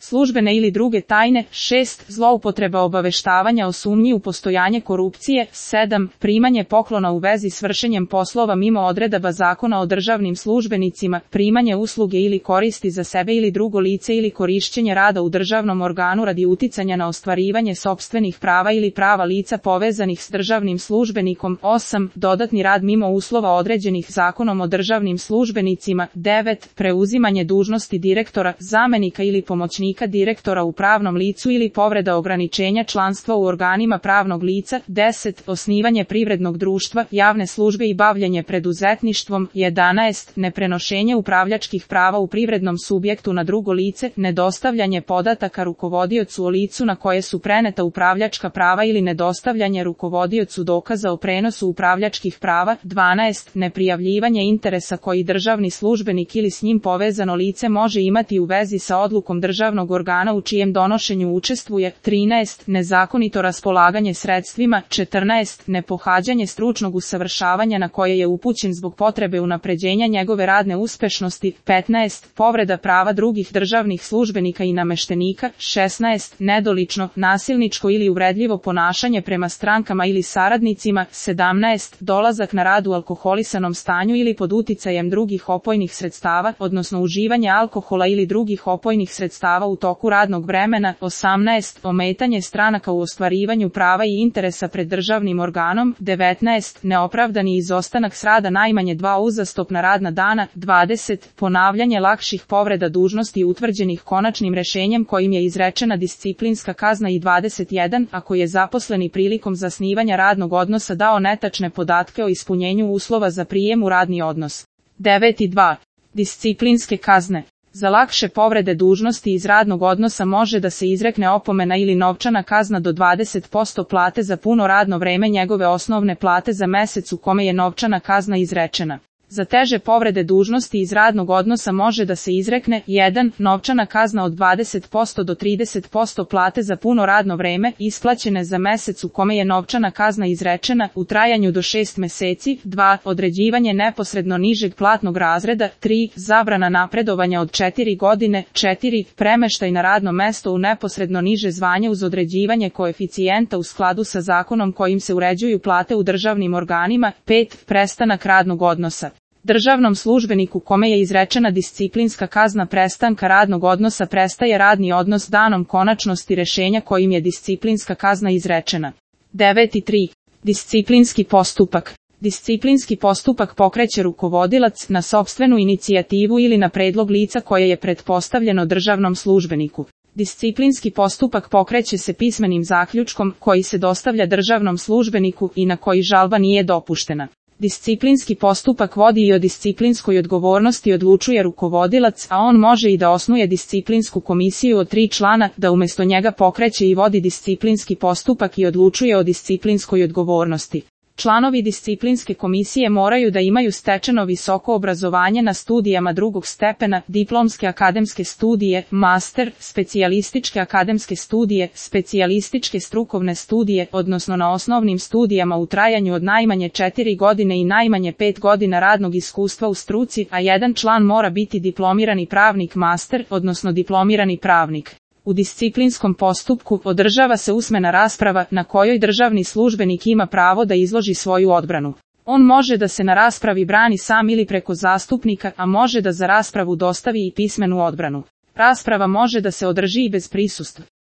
službene ili druge tajne, 6. zloupotreba obaveštavanja o sumnji u postojanje korupcije, 7. primanje poklona u vezi s vršenjem poslova mimo odredaba Zakona o državnim službenicima, primanje usluge ili koristi za sebe ili drugo lice ili korišćenje rada u državnom organu radi uticanja na ostvarivanje sopstvenih prava ili prava lica povezanih s državnim službenikom, 8. dodatni rad mimo uslova određenih Zakonom o državnim službenicima, 9. preuzimanje dužnosti direktora, zamenika ili pomoćnika direktora u pravnom licu ili povreda ograničenja članstva u organima pravnog lica, 10. osnivanje privrednog društva, javne službe i bavljenje preduzetništvom, 11. neprenošenje upravljačkih prava u privrednom subjektu na drugo lice, nedostavljanje podataka rukovodiocu o licu na koje su preneta upravljačka prava ili nedostavljanje rukovodiocu dokaza o prenosu upravljačkih prava, 12. neprijavljivanje interesa koji državni službenik ili s njim povezano lice može imati u vezi sa odlukom državnog organa u čijem donošenju učestvuje, 13. nezakonito raspolaganje sredstvima, 14. nepohađanje stručnog usavršavanja na koje je upućen zbog potrebe unapređenja njegove radne uspešnosti, 15. povreda prava drugih državnih službenika i nameštenika, 16. nedolično, nasilničko ili uvredljivo ponašanje prema strankama ili saradnicima, 17. dolazak na rad u alkoholisanom stanju ili pod uticajem drugih opojnih sredstava, odnosno uživanje alkohola ili drugih opojnih sredstava u toku radnog vremena, 18. ometanje stranaka u ostvarivanju prava i interesa pred državnim organom, 19. neopravdani izostanak s rada najmanje 2 uzastopna radna dana, 20. ponavljanje lakših povreda dužnosti utvrđenih konačnim rešenjem kojim je izrečena disciplinska kazna i 21. ako je zaposleni prilikom zasnivanja radnog odnosa dao netačne podatke o ispunjenju uslova za prijem u radni odnos. 9.2. Disciplinske kazne. Za lakše povrede dužnosti iz radnog odnosa može da se izrekne opomena ili novčana kazna do 20% plate za puno radno vreme njegove osnovne plate za mesec u kome je novčana kazna izrečena. Za teže povrede dužnosti iz radnog odnosa može da se izrekne 1. novčana kazna od 20% do 30% plate za puno radno vreme, isplaćene za mesec u kome je novčana kazna izrečena, u trajanju do 6 meseci, 2. određivanje neposredno nižeg platnog razreda, 3. zabrana napredovanja od 4 godine, 4. premeštaj na radno mesto u neposredno niže zvanje uz određivanje koeficijenta u skladu sa zakonom kojim se uređuju plate u državnim organima, 5. prestanak radnog odnosa. Državnom službeniku kome je izrečena disciplinska kazna prestanka radnog odnosa prestaje radni odnos danom konačnosti rešenja kojim je disciplinska kazna izrečena. 9.3. Disciplinski postupak. Disciplinski postupak pokreće rukovodilac na sopstvenu inicijativu ili na predlog lica koje je pretpostavljeno državnom službeniku. Disciplinski postupak pokreće se pismenim zaključkom koji se dostavlja državnom službeniku i na koji žalba nije dopuštena. Disciplinski postupak vodi i o disciplinskoj odgovornosti odlučuje rukovodilac, a on može i da osnuje disciplinsku komisiju od 3 člana, da umjesto njega pokreće i vodi disciplinski postupak i odlučuje o disciplinskoj odgovornosti. Članovi disciplinske komisije moraju da imaju stečeno visoko obrazovanje na studijama drugog stepena, diplomske akademske studije, master, specijalističke akademske studije, specijalističke strukovne studije, odnosno na osnovnim studijama u trajanju od najmanje 4 godine i najmanje 5 godina radnog iskustva u struci, a jedan član mora biti diplomirani pravnik master, odnosno diplomirani pravnik. U disciplinskom postupku održava se usmena rasprava na kojoj državni službenik ima pravo da izloži svoju odbranu. On može da se na raspravi brani sam ili preko zastupnika, a može da za raspravu dostavi i pismenu odbranu. Rasprava može da se održi i bez prisustva